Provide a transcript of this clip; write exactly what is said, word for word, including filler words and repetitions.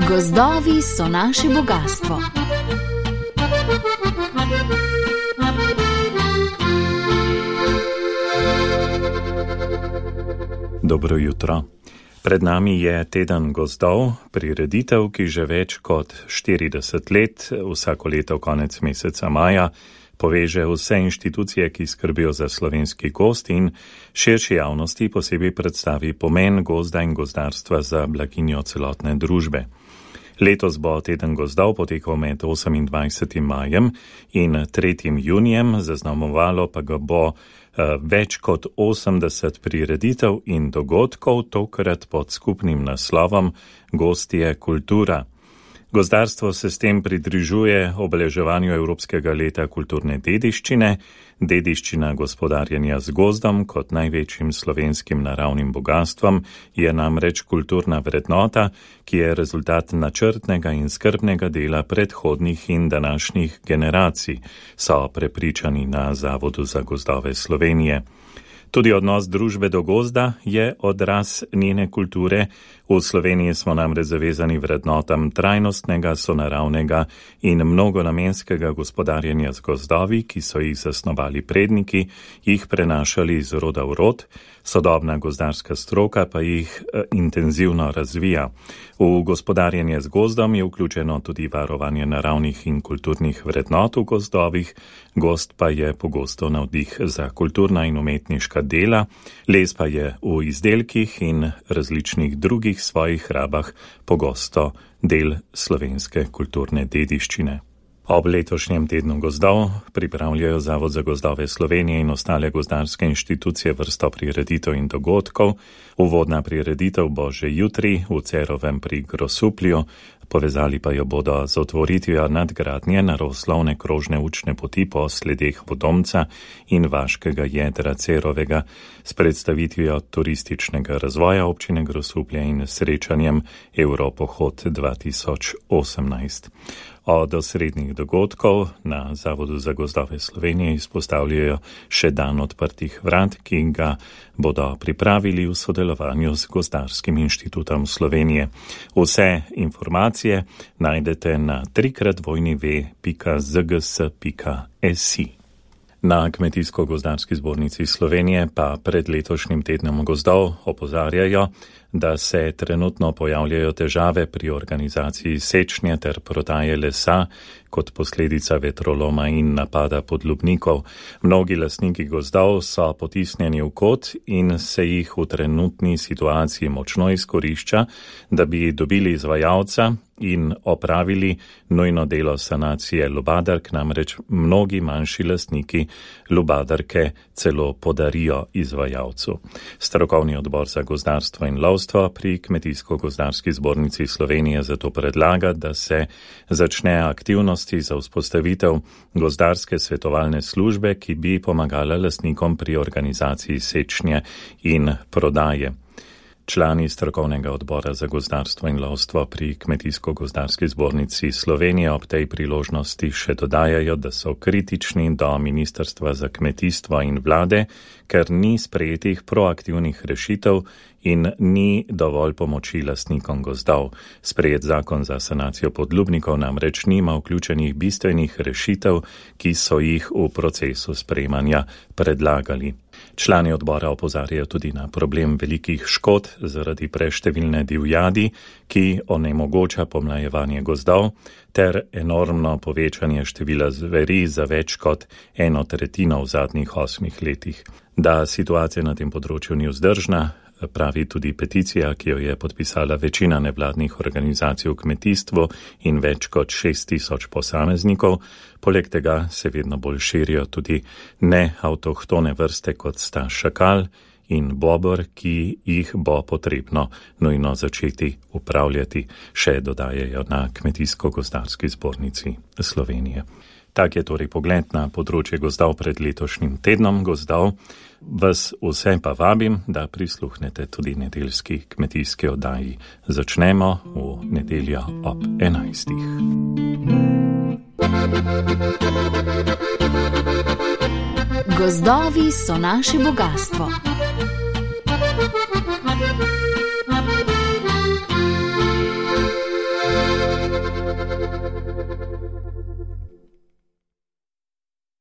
Gozdovi so naše bogastvo. Dobro jutro. Pred nami je teden gozdov, prireditev, ki že več kot štirideset let, vsako leto konec meseca maja, poveže vse inštitucije, ki skrbijo za slovenski gozd in širši javnosti posebej predstavi pomen gozda in gozdarstva za blaginjo celotne družbe. Letos bo teden gozdov potekal med osemindvajsetim majem in tretjim junijem, zaznamovalo pa ga bo uh, več kot osemdeset prireditev in dogodkov, tokrat pod skupnim naslovom Gozd je kultura. Gozdarstvo se s tem pridružuje obeleževanju Evropskega leta kulturne dediščine. Dediščina gospodarjenja z gozdom kot največjim slovenskim naravnim bogastvom je namreč kulturna vrednota, ki je rezultat načrtnega in skrbnega dela predhodnih in današnjih generacij, so prepričani na Zavodu za gozdove Slovenije. Tudi odnos družbe do gozda je odraz njene kulture. V Sloveniji smo namreč zavezani vrednotam trajnostnega, sonaravnega in mnogonamenskega gospodarjenja z gozdovi, ki so jih zasnovali predniki, jih prenašali iz roda v rod, sodobna gozdarska stroka pa jih eh, intenzivno razvija. V gospodarjenje z gozdom je vključeno tudi varovanje naravnih in kulturnih vrednot v gozdovih, gozd pa je pogosto navdih za kulturna in umetniška dela, les pa je v izdelkih in različnih drugih svojih rabah pogosto del slovenske kulturne dediščine. Ob letošnjem tednu gozdov pripravljajo Zavod za gozdove Slovenije in ostale gozdarske inštitucije vrsto prireditev in dogodkov. Uvodna prireditev bo že jutri v Cerovem pri Grosuplju, povezali pa jo bodo z otvoritvijo nadgradnje naravoslovne krožne učne poti po sledeh Vodomca in vaškega jedra Cerovega, s predstavitvijo turističnega razvoja občine Grosuplje in srečanjem Evropohod dva tisoč osemnajst. Od osrednjih dogodkov na Zavodu za gozdove Slovenije izpostavljajo še dan odprtih vrat, ki ga bodo pripravili v sodelovanju z Gozdarskim inštitutom Slovenije. Vse informacije najdete na trikrat dvojni ve pika zgs pika si. Na Kmetijsko-gozdarski zbornici Slovenije pa pred letošnjim tednom gozdov opozarjajo, da se trenutno pojavljajo težave pri organizaciji sečnje ter prodaje lesa kot posledica vetroloma in napada podlubnikov. Mnogi lastniki gozdov so potisnjeni v kot in se jih v trenutni situaciji močno izkorišča, da bi dobili izvajalca in opravili nujno delo sanacije lubadark, namreč mnogi manjši lastniki lubadarke celo podarijo izvajalcu. Strokovni odbor za gozdarstvo in lovstvo pri Kmetijsko-gozdarski zbornici Slovenije zato predlaga, da se začne aktivnosti za vzpostavitev gozdarske svetovalne službe, ki bi pomagala lastnikom pri organizaciji sečnje in prodaje. Člani strokovnega odbora za gozdarstvo in lovstvo pri Kmetijsko-gozdarski zbornici Slovenije ob tej priložnosti še dodajajo, da so kritični do Ministrstva za kmetijstvo in vlade, ker ni sprejetih proaktivnih rešitev in ni dovolj pomoči lastnikom gozdov. Sprejet zakon za sanacijo podlubnikov namreč nima vključenih bistvenih rešitev, ki so jih v procesu sprejemanja predlagali. Člani odbora opozarjajo tudi na problem velikih škod zaradi preštevilne divjadi, ki onemogoča pomlajevanje gozdov, ter enormno povečanje števila zveri za več kot eno tretjino v zadnjih osmih letih. Da situacija na tem področju ni vzdržna, pravi tudi peticija, ki jo je podpisala večina nevladnih organizacij v kmetijstvu in več kot šest tisoč posameznikov. Poleg tega se vedno bolj širijo tudi neavtohtone vrste, kot sta šakal in bobor, ki jih bo potrebno nujno začeti upravljati, še dodajajo na Kmetijsko-gozdarski zbornici Slovenije. Tak je torej pogled na področje gozdov pred letošnjim tednom gozdov. Vas vse pa vabim, da prisluhnete tudi nedeljski kmetijski oddaji. Začnemo v nedeljo ob enajstih. Gozdovi so naše bogastvo.